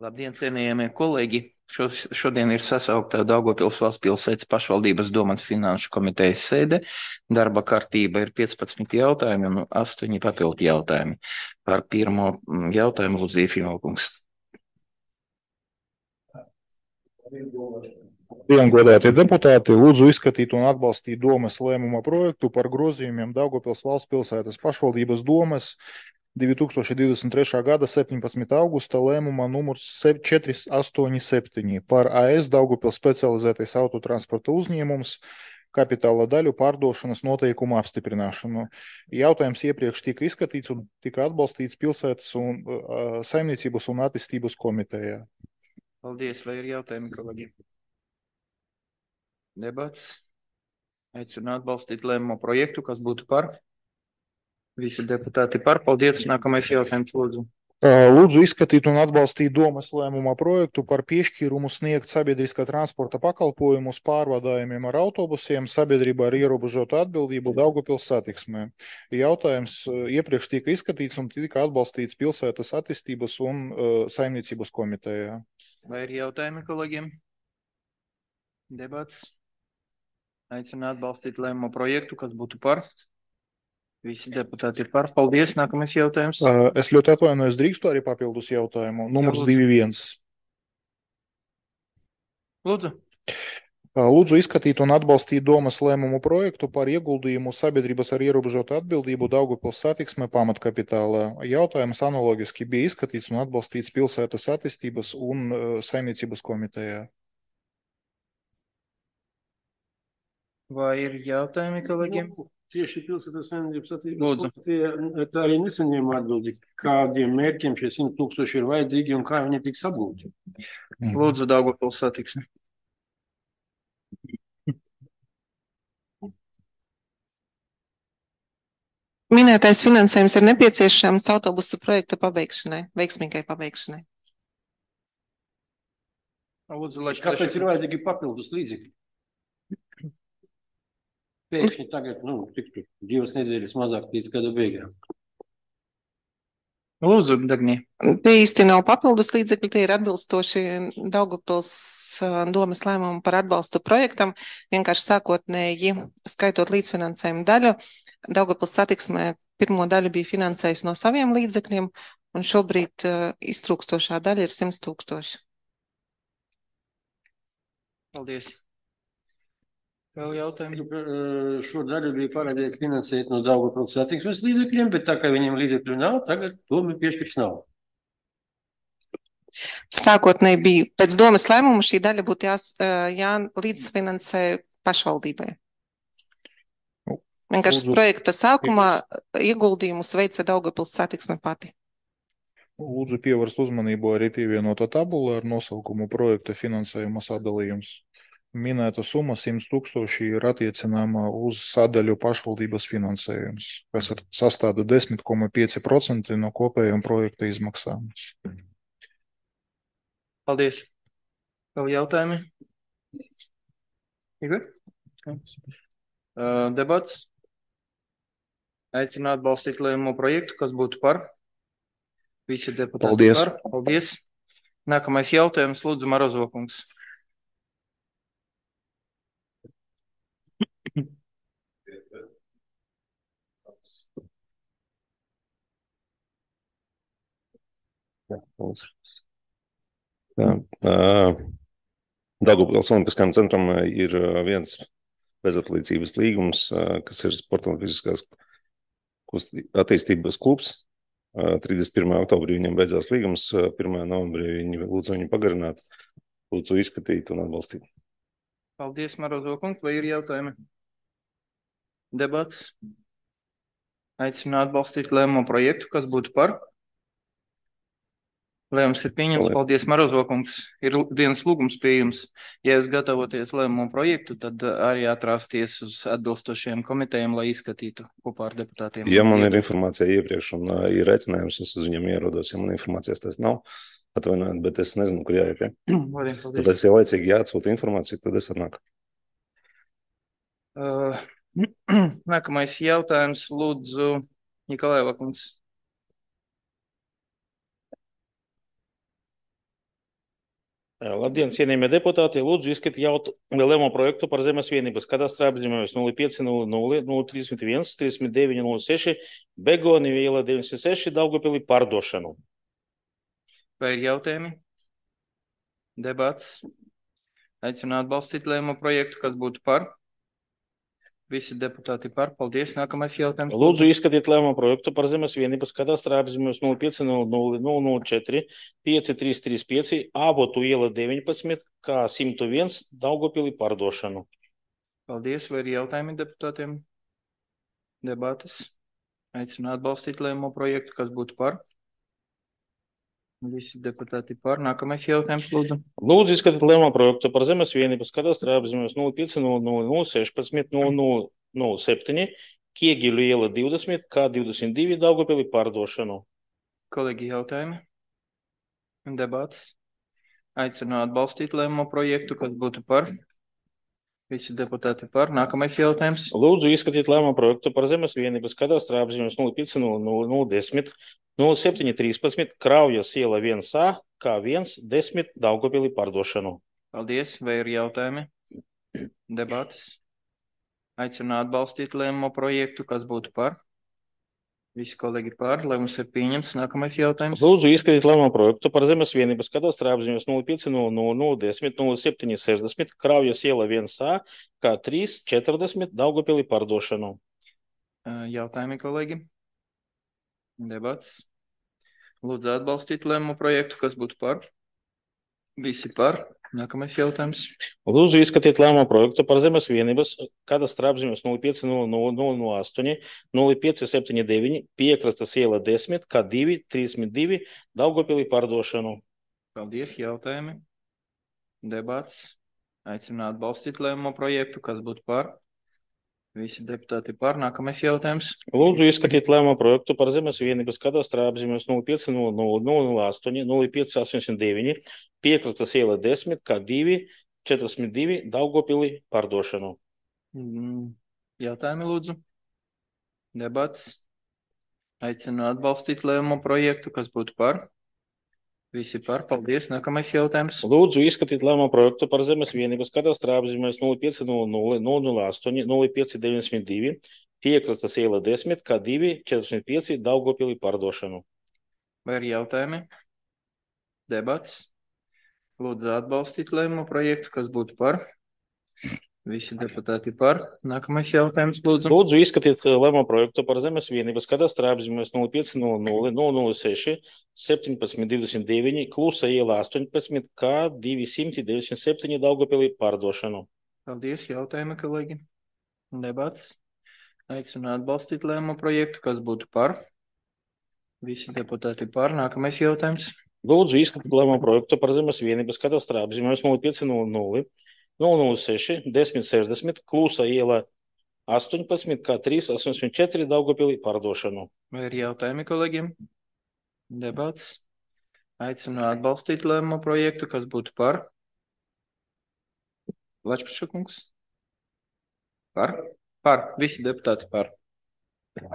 Labdien, cienījamie kolēģi! Šodien ir sasaukta Daugavpils valsts pilsētas pašvaldības domas finanšu komitejas sēde. Darba kārtība ir 15 jautājumi un 8 papildu jautājumi. Par pirmo jautājumu lūdzu Iefimalkungs. Godātie deputāti, lūdzu izskatīt un atbalstīt domas lēmuma projektu par grozījumiem Daugavpils valsts pilsētas pašvaldības domas 2023. gada 17. augusta lēmuma numurs 487 par AS Daugavpils specializētais autotransporta uzņēmums kapitāla daļu pārdošanas noteikumu apstiprināšanu. Jautājums iepriekš tika izskatīts un tika atbalstīts pilsētas un saimniecības un attīstības komitejā. Paldies, vai ir jautājumi, kolēģi? Debats. Aicinu atbalstīt lēmumu projektu, kas būtu par. Visi deputāti par. Paldies. Nākamais jautājums, lūdzu. Lūdzu izskatīt un atbalstīt domas lēmuma projektu par piešķīrumu sniegt sabiedriskā transporta pakalpojumus pārvadājumiem ar autobusiem sabiedrībā ar ierobežotu atbildību Daugavpils satiksmē. Jautājums iepriekš tika izskatīts un tika atbalstīts pilsētas attīstības un saimniecības komitejā. Vai ir jautājumi kolēģiem? Debats. Aicinu atbalstīt lēmumu projektu, kas būtu par. Visi deputāti ir par. Paldies. Nākamais jautājums. Es ļoti atvainojos, drīkstu arī papildus jautājumu. Numurs 21. Lūdzu. Lūdzu izskatīt un atbalstīt domas lēmumu projektu par ieguldījumu sabiedrības ar ierobežotu atbildību Daugavpils satiksme pamatkapitālā. Jautājums analogiski bija izskatīts un atbalstīts pilsētas attīstības un saimniecības komitejā. Vai ir jautājumi kolēģiem? Tieši pilsētas saimniecības attīstības tā arī nesaņēma atbildi, kādiem mērķiem šie 100 000 ir vajadzīgi un kā viņi tiks apgūti. Lūdzu, Daugavpils satiksme. Minētais finansējums ir nepieciešams autobusu projekta pabeigšanai, veiksmīgai pabeigšanai. Lūdzu, lai kāpēc ir vajadzīgi papildus līdzekļi? Pēkšņi tagad, tiktu 2 nedēļas mazāk līdz gada beigām. Lūdzu, Dagni. Tie īsti nav papildus līdzekļi, tie ir atbilstoši Daugavpils domas lēmumu par atbalstu projektam. Vienkārši sākotnēji skaitot līdzfinansējumu daļu, Daugavpils satiksmē pirmo daļu bija finansējis no saviem līdzekļiem, un šobrīd iztrūkstošā daļa ir 100 000. Paldies. Vēl jautājumi? Šo daļu bija paredzēts finansēt no Daugavpils satiksmes līdzekļiem, bet tā kā viņiem līdzekļu nav, tagad doma piešķirs nav. Sākotnēji bija pēc domas lēmuma šī daļa būtu jālīdzfinansē pašvaldībai. Vienkārši projekta sākumā ieguldījumus veica Daugavpils satiksme pati. Lūdzu pievērst uzmanību arī pievienotā tabula ar nosaukumu projekta finansējuma sadalījums. Minēta summa 100 000 ir attiecināma uz sadaļu pašvaldības finansējums, kas sastāda 10,5% no kopējām projekta izmaksām. Paldies. Vēl jautājumi? Igor? Debats. Aicinu atbalstīt lēmumu projektu, kas būtu par. Visi deputāti par. Paldies. Nākamais jautājums, lūdzu, Marozokungs. Daugavpils Olimpiskajam centram ir viens bezatlīdzības līgums, kas ir sporta un fiziskās attīstības klubs. 31. oktobrī viņam beidzās līgums, 1. novembrī viņi lūdzu viņu pagarināt, lūdzu izskatīt un atbalstīt. Paldies, Marozokungs. Vai ir jautājumi? Debats. Aicinu atbalstīt lēmumu projektu, kas būtu par. Lēmums ir pieņemts. Paldies, Marozokungs. Ir viens lūgums pie jums. Ja jūs gatavoties lēmumu projektu, tad arī atrāsties uz atbilstošajiem komitejiem, lai izskatītu kopā ar deputātiem. Ja man ir informācija iepriekš un ir aicinājums, es uz viņiem ierodos. Ja man informācijas tas nav, atvainojiet, bet es nezinu, kur jāiet. Tad es jau laicīgi jāatsūta informāciju, tad es atnāku. Nākamais jautājums, lūdzu, Nikolajeva kungs. Labdien, cienījamie deputāti, lūdzu izskatīt lēmumu projektu par zemes vienības kadastrā apzīmējumus 0500 3906 Begoni iela 96 Daugavpilī pārdošanu. Vai ir jautājumi? Debats? Aicinu atbalstīt lēmumu projektu, kas būtu par. Visi deputāti par. Paldies. Nākamais jautājums. Lūdzu izskatīt lēmumu projektu par zemes vienības kadastrā apzīmējumus 0500 5335 Avotu iela 19 kā 101 Daugavpilī pārdošanu. Paldies. Vai ir jautājumi deputātiem? Debates? Aicinu atbalstīt lēmumu projektu, kas būtu par. Visi deputāti par. Nākamais jautājums, lūdzu. Lūdzu izskatīt lēmumu projektu par zemes vienības kadastrā apzīmējumus 0500 16 Kiegiļu iela 20 kā 22 Daugavpilī pārdošanu. Kolēģi, jautājumi? Debats? Aicinu atbalstīt lēmumu projektu, kas būtu par. Visi deputāti par. Nākamais jautājums. Lūdzu izskatīt lēmumu projektu par zemes vienības kadastrā apzīmējumus 0500 0713 Kraujas iela 1A kā 110 Daugavpilī pārdošanu. Paldies. Vai ir jautājumi? Debates? Aicinu atbalstīt lēmumu projektu, kas būtu par. Visi kolēģi par. Lēmums ir pieņemts. Nākamais jautājums. Lūdzu izskatīt lēmumu projektu par zemes vienības kadastrā apzīmējumus 0500 0760 Kraujas iela 1A kā 340 Daugavpilī pārdošanu. Jautājumi, kolēģi? Debats? Lūdzu atbalstīt lēmumu projektu, kas būtu par. Visi par. Nākamais jautājums. Lūdzu izskatīt lēmumu projektu par zemes vienības kadastrā apzīmējumus 0508 0579 Piekrastes iela 10 kā 232 Daugavpilī pārdošanu. Paldies. Jautājumi? Debats? Aicinu atbalstīt lēmumu projektu, kas būtu par. Visi deputāti par. Nākamais jautājums. Lūdzu izskatīt lēmumu projektu par zemes vienības kadastrā apzīmējumus 0508 0589 Piekrastes iela 10 kā 242 Daugavpilī pārdošanu. Jautājumi, lūdzu. Debats? Aicinu atbalstīt lēmumu projektu, kas būtu par. Visi par. Paldies. Nākamais jautājums. Lūdzu izskatīt lēmumu projektu par zemes vienības kadastrā apzīmējumus 0500 0592 Piekrastes iela 10 kā 245 Daugavpilī pārdošanu. Vai ir jautājumi? Debats? Lūdzu atbalstīt lēmumu projektu, kas būtu par. Visi deputāti par. Nākamais jautājums, lūdzu. Lūdzu izskatīt lēmumu projektu par zemes vienības kadastrā apzīmējumus 0500 006 1729 Klusa iela 18 kā 297 Daugavpilī pārdošanu. Paldies. Jautājumi, kolēģi? Debats? Aicinu atbalstīt lēmumu projektu, kas būtu par. Visi deputāti par. Nākamais jautājums. Lūdzu izskatīt lēmumu projektu par zemes vienības kadastrā apzīmējumus 0500 006 1060 Klusa iela 18 kā 384 Daugavpilī pārdošanu. Vai ir jautājumi, kolēģiem? Debats? Aicinu atbalstīt lēmumu projektu, kas būtu par. Lačplašakungs? Par? Par. Visi deputāti par.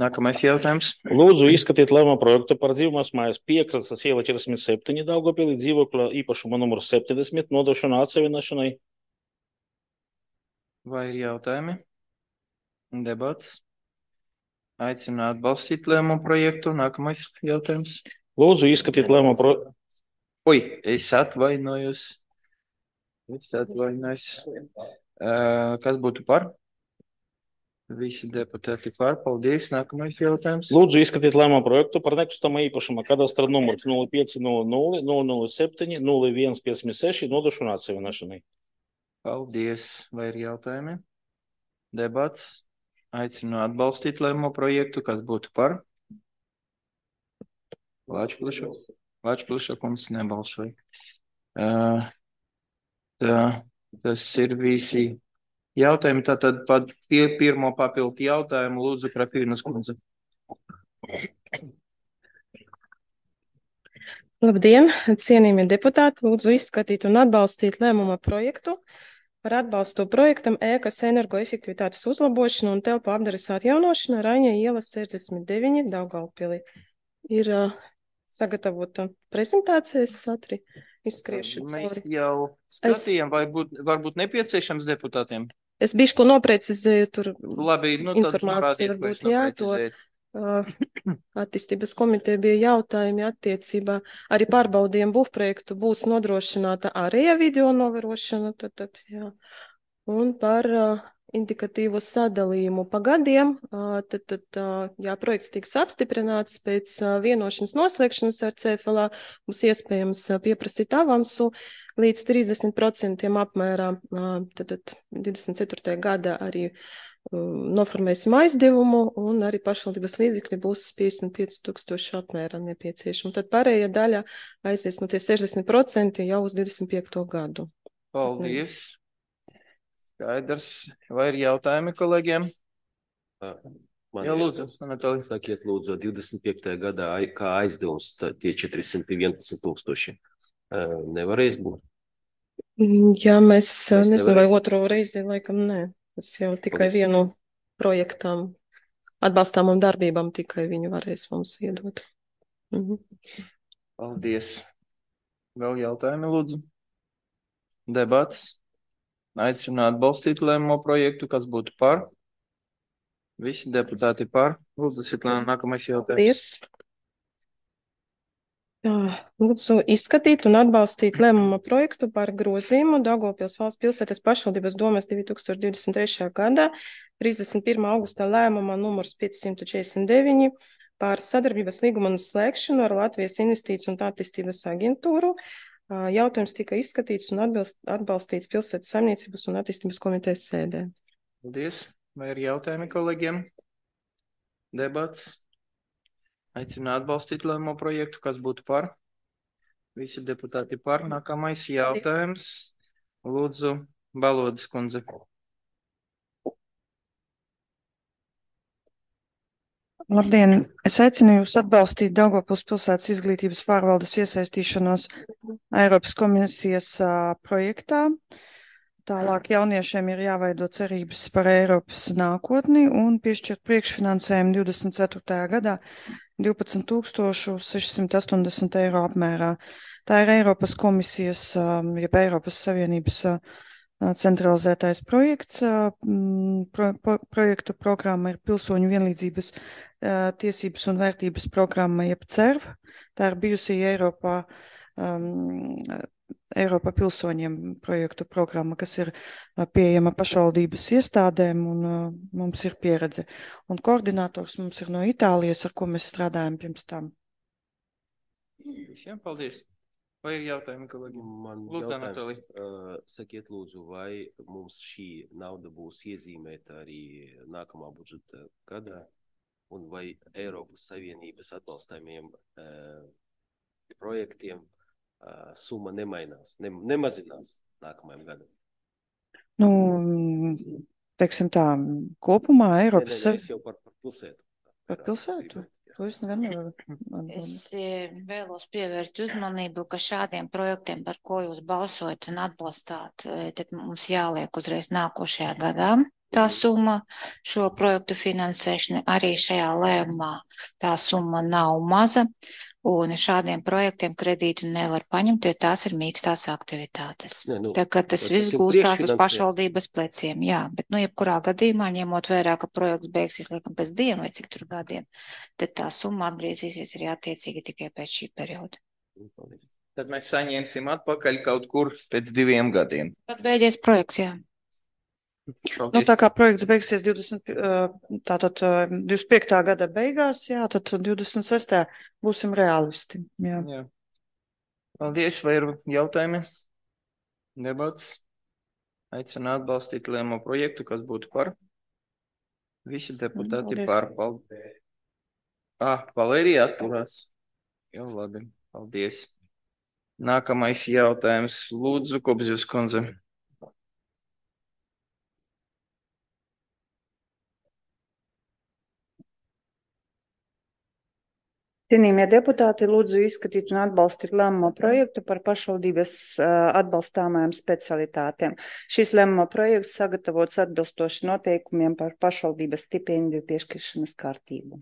Nākamais jautājums. Lūdzu izskatīt lēmumu projektu par dzīvokļu mājas Piekrastes iela 47 Daugavpilī dzīvokļa īpašuma numuru 70 nodošanu atsevišķināšanai. Vai ir jautājumi? Debats? Aicinu atbalstīt lēmumu projektu. Nākamais jautājums. Lūdzu izskatīt lēmumu projektu. Es atvainojos. Kas būtu par? Visi deputāti par. Paldies. Nākamais jautājums. Lūdzu izskatīt lēmumu projektu par nekustamā īpašuma kadastra numuru 0500 007 0156 nodošanu atsevišķināšanai. Paldies. Vai ir jautājumi? Debats? Aicinu atbalstīt lēmumu projektu, kas būtu par. Lačplašakums nebalsoja. Tas ir visi jautājumi. Tātad pat pirmo papildu jautājumu lūdzu Krapīnas kundze. Labdien, cienījamie deputāti, lūdzu izskatīt un atbalstīt lēmuma projektu par atbalstu projektam ēkas energoefektivitātes uzlabošanu un telpu apdares atjaunošanu Raņa iela 69 Daugavpilī. Ir sagatavota prezentācijas satri. izskriešu Mēs cauri. jau skatījām, vai varbūt nepieciešams deputātiem. Es bišku noprecizēju tur Labi, nu tad informāciju, norādiet, ko es varbūt, jā, noprecizēju. Attīstības komiteja bija jautājumi attiecībā. Arī pārbaudījuma būvprojektu būs nodrošināta ārējā video novērošana, tad, jā. Un par indikatīvo sadalījumu pa gadiem, jā, projekts tiks apstiprināts pēc vienošanas noslēgšanas ar CFLA, būs iespējams pieprasīt avansu līdz 30% apmērā, tad 24. gada arī noformēsim aizdevumu un arī pašvaldības līdzekļi būs 55,000 apmērā nepieciešami. Tad pārējā daļa aizies no tie 60% jau uz 25. gadu. Paldies. Skaidrs. Vai ir jautājumi kolēģiem? Jā, lūdzu. Sakiet, lūdzu, 25. gadā kā aizdevums tie 411,000 nevarēs būt? Jā, mēs nezinu, vai otro reizi, laikam, nē. Tas jau tikai vienu projektām, atbalstāmām darbībām tikai viņi varēs mums iedot. Paldies. Vēl jautājumi, lūdzu? Debats. Aicinu atbalstīt lēmumu projektu, kas būtu par. Visi deputāti par. Lūdzu, Svetlana, nākamais jautājums. Paldies. Lūdzu, izskatīt un atbalstīt lēmuma projektu par grozījumu Daugavpils valsts pilsētas pašvaldības domes 2023. gadā 31. augustā lēmuma numurs 549 par sadarbības līguma slēgšanu ar Latvijas investīciju un attīstības aģentūru. Jautājums tika izskatīts un atbalstīts pilsētas saimniecības un attīstības komitejas sēdē. Paldies. Vai ir jautājumi kolēģiem? Debats. Aicinu atbalstīt lēmumu projektu, kas būtu par. Visi deputāti par. Nākamais jautājums. Lūdzu, Balodas kundze. Labdien! Es aicinu jūs atbalstīt Daugavpils pilsētas izglītības pārvaldes iesaistīšanos Eiropas komisijas projektā. Tālāk jauniešiem ir jāveido cerības par Eiropas nākotni un piešķirt priekšfinansējumu 24. gadā 12,680 eiro apmērā. Tā ir Eiropas komisijas, jeb Eiropas Savienības centralizētais projekts. Projektu programma ir pilsoņu vienlīdzības tiesības un vērtības programma, jeb CERV. Tā ir bijusī Eiropa pilsoņiem projektu programma, kas ir pieejama pašvaldības iestādēm un mums ir pieredze. Un koordinators mums ir no Itālijas, ar ko mēs strādājam pirms tam. Visiem paldies. Vai ir jautājumi, kolēģi? Man Lūdzu, jautājums, sakiet lūdzu, vai mums šī nauda būs iezīmēta arī nākamā budžeta gadā, un vai Eiropas Savienības atbalstāmiem projektiem summa nemainās, nemazinās nākamajam gadam? Nu, teiksim tā, kopumā Eiropas... Es jau par pilsētu. Par pilsētu? To es nevaru. Es vēlos pievērst uzmanību, ka šādiem projektiem, par ko jūs balsojat un atbalstāt, tad mums jāliek uzreiz nākošajā gadā tā summa šo projektu finansēšana. Arī šajā lēmumā tā summa nav maza. Un šādiem projektiem kredītu nevar paņemt, jo tās ir mīkstās aktivitātes. Tā kā tas viss gūstās uz pašvaldības pleciem, jā, bet jebkurā gadījumā, ņemot vērā, ka projekts beigsies laikam pēc 2 vai cik tur gadiem, tad tā summa atgriezīsies arī attiecīgi tikai pēc šī perioda. Tad mēs saņemsim atpakaļ kaut kur pēc 2 gadiem. Tad beidzies projekts, jā. Nu, tā kā projekts beigsies 25. gada beigās, jā, tad 26. būsim realisti. Jā. Jā. Paldies, vai ir jautājumi? Debats. Aicinu atbalstīt lēmumu projektu, kas būtu par. Visi deputāti par. Paldies. Valērija atturās. Jau labi, paldies. Nākamais jautājums. Lūdzu, Kobzjus kundze. Cienījamie deputāti, lūdzu izskatīt un atbalstīt lēmumu projektu par pašvaldības atbalstāmajām specialitātēm. Šis lēmuma projekts sagatavots atbilstoši noteikumiem par pašvaldības stipendiju piešķiršanas kārtību.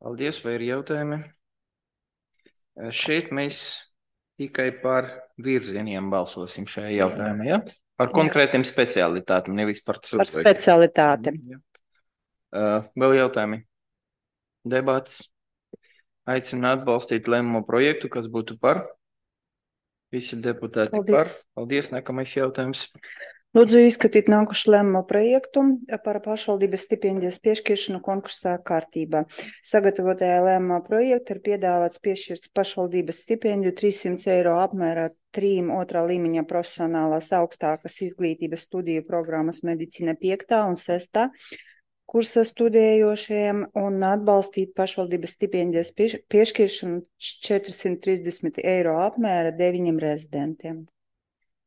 Paldies, vai ir jautājumi? Šeit mēs Tikai par virzieniem balsosim šajā jautājumā, ja? Par konkrētiem specialitātiem, nevis par Par specialitātēm. Vēl jautājumi? Debats. Aicinu atbalstīt lēmumu projektu, kas būtu par. Visi deputāti par. Paldies. Nākamais jautājums. Lūdzu izskatīt nākušu lēmumu projektu par pašvaldības stipendijas piešķiršanu konkursā kārtībā. Sagatavotajā lēmumā projekta ir piedāvāts piešķirt pašvaldības stipendiju 300 eiro apmērā 3 otrā līmeņa profesionālās augstākas izglītības studiju programmas medicīna 5. un 6. kursa studējošajiem un atbalstīt pašvaldības stipendijas piešķiršanu 430 eiro apmēra 9 rezidentiem.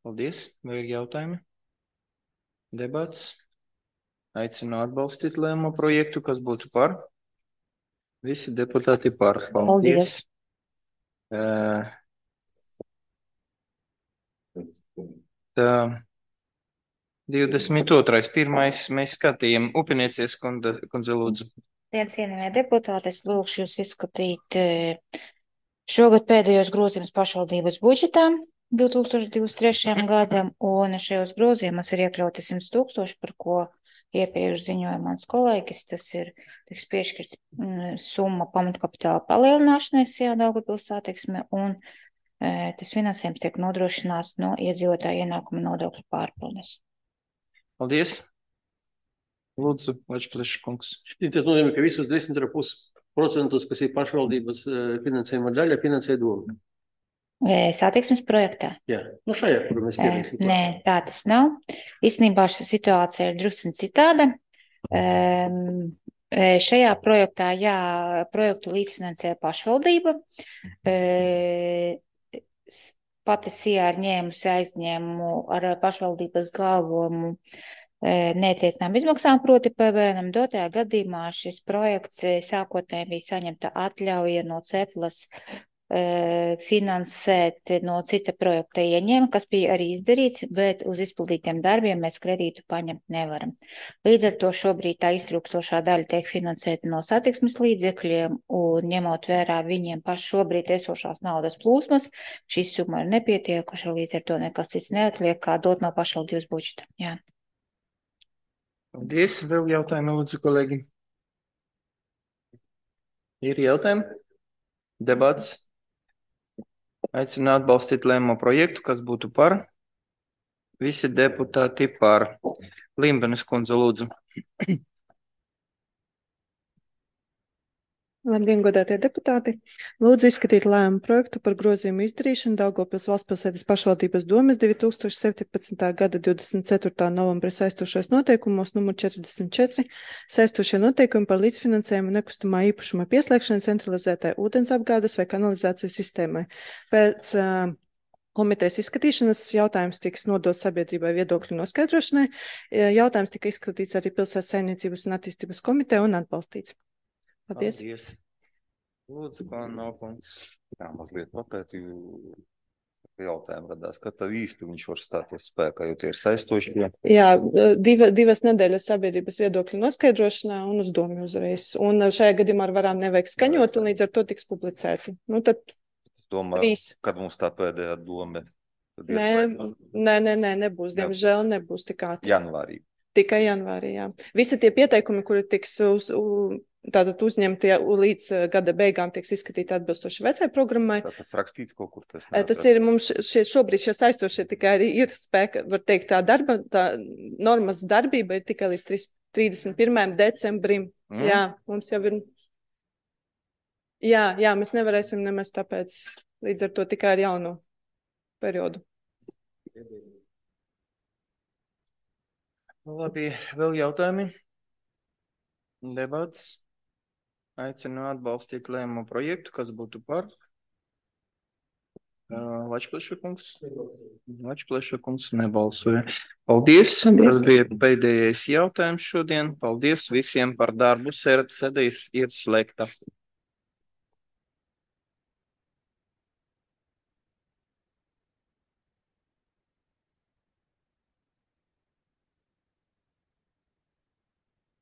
Paldies. Vai ir jautājumi? Debats. Aicinu atbalstīt lēmumu projektu, kas būtu par. Visi deputāti par. Paldies. Tā 22. Pirmais mēs skatījām Upiniecies kundze lūdzu. Cienījamie deputāti, es lūgšu jūs izskatīt šogad pēdējos grozījumus pašvaldības budžetā 2023. gadam, un šajos grozījumos ir iekļauti 100 000, par ko iepriekš ziņoja mans kolēģis. Tas ir tiks piešķirts summa pamatkapitāla palielināšanai Sijā Daugavpils satiksme, un tas finansējums tiek nodrošināts no iedzīvotāja ienākuma nodokļa pārpildes. Paldies. Lūdzu, Vačplešs kungs. Tas nozīmē, ka visus 10,5%, kas ir pašvaldības finansējuma daļa, finansē doma. Satiksmes projektā? Jā, nu šajā, kur mēs pieraksim. Nē, tā tas nav. Īstenībā šī situācija ir drusku citāda. Šajā projektā, jā, projektu līdzfinansē pašvaldība. Pati Sijā ir ņēmusi aizņēmumu ar pašvaldības galvumu neatiecinām izmaksām, proti PVN. Dotajā gadījumā šis projekts sākotnēji bija saņemta atļauja no Ceplas finansēt no cita projekta ieņēma, kas bija arī izdarīts, bet uz izpildītiem darbiem mēs kredītu paņemt nevaram. Līdz ar to šobrīd tā iztrūkstošā daļa tiek finansēta no satiksmes līdzekļiem, un ņemot vērā viņiem paši šobrīd esošās naudas plūsmas, šī summa ir nepietiekuša, līdz ar to nekas cits neatliek, kā dot no pašvaldības budžeta. Jā. Paldies. Vēl jautājumi, lūdzu, kolēģi. Ir jautājumi? Debats. Aicinu atbalstīt lēmumu projektu, kas būtu par. Visi deputāti par. Limbenes kundze, lūdzu. Labdien, godātie deputāti! Lūdzu izskatīt lēmumu projektu par grozījumu izdarīšanu Daugavpils valstspilsētas pašvaldības domes 2017. gada 24. novembra saistošais noteikumos numur 44 saistošie noteikumi par līdzfinansējumu nekustamā īpašuma pieslēgšanu centralizētai ūdensapgādes vai kanalizācijas sistēmai. Pēc komitejas izskatīšanas jautājums tiks nodots sabiedrībai viedokļu noskaidrošanai. Jautājums tika izskatīts arī Pilsētas saimniecības un attīstības komiteja un atbalstīts. Paldies. Paldies. Lūdzu, Nokungs. Jā, mazliet papētīju jautājumu radās, ka tā īsti viņš var stāties spēkā, jo tie ir saistoši. Jā, divas nedēļas sabiedrības viedokļu noskaidrošanā un uz domu uzreiz. Un šajā gadījumā ar varām nevajag skaņot, un līdz ar to tiks publicēti. Nu, tad domāju, kad mums tā pēdējā doma? Nē, nebūs. Diemžēl nebūs tik ātri. Janvārī. Tikai janvārī, jā. Visi tie pieteikumi, kuri tiks tātad uzņemti līdz gada beigām, tiks izskatīti atbilstoši vecai programmai. Tas rakstīts kaut kur? Tas ir mums šobrīd šie saistošie tikai arī ir spēka, var teikt, tā normas darbība ir tikai līdz 31. decembrim. Jā, mums jau ir. Jā, mēs nevarēsim nemaz tāpēc līdz ar to tikai ar jauno periodu. Labi, vēl jautājumi? Debats. Aicinu atbalstīt lēmumu projektu, kas būtu par. Vačpleša kungs nebalsoja. Paldies. Tas bija pēdējais jautājums šodien. Paldies visiem par darbu. Sēde ir slēgta.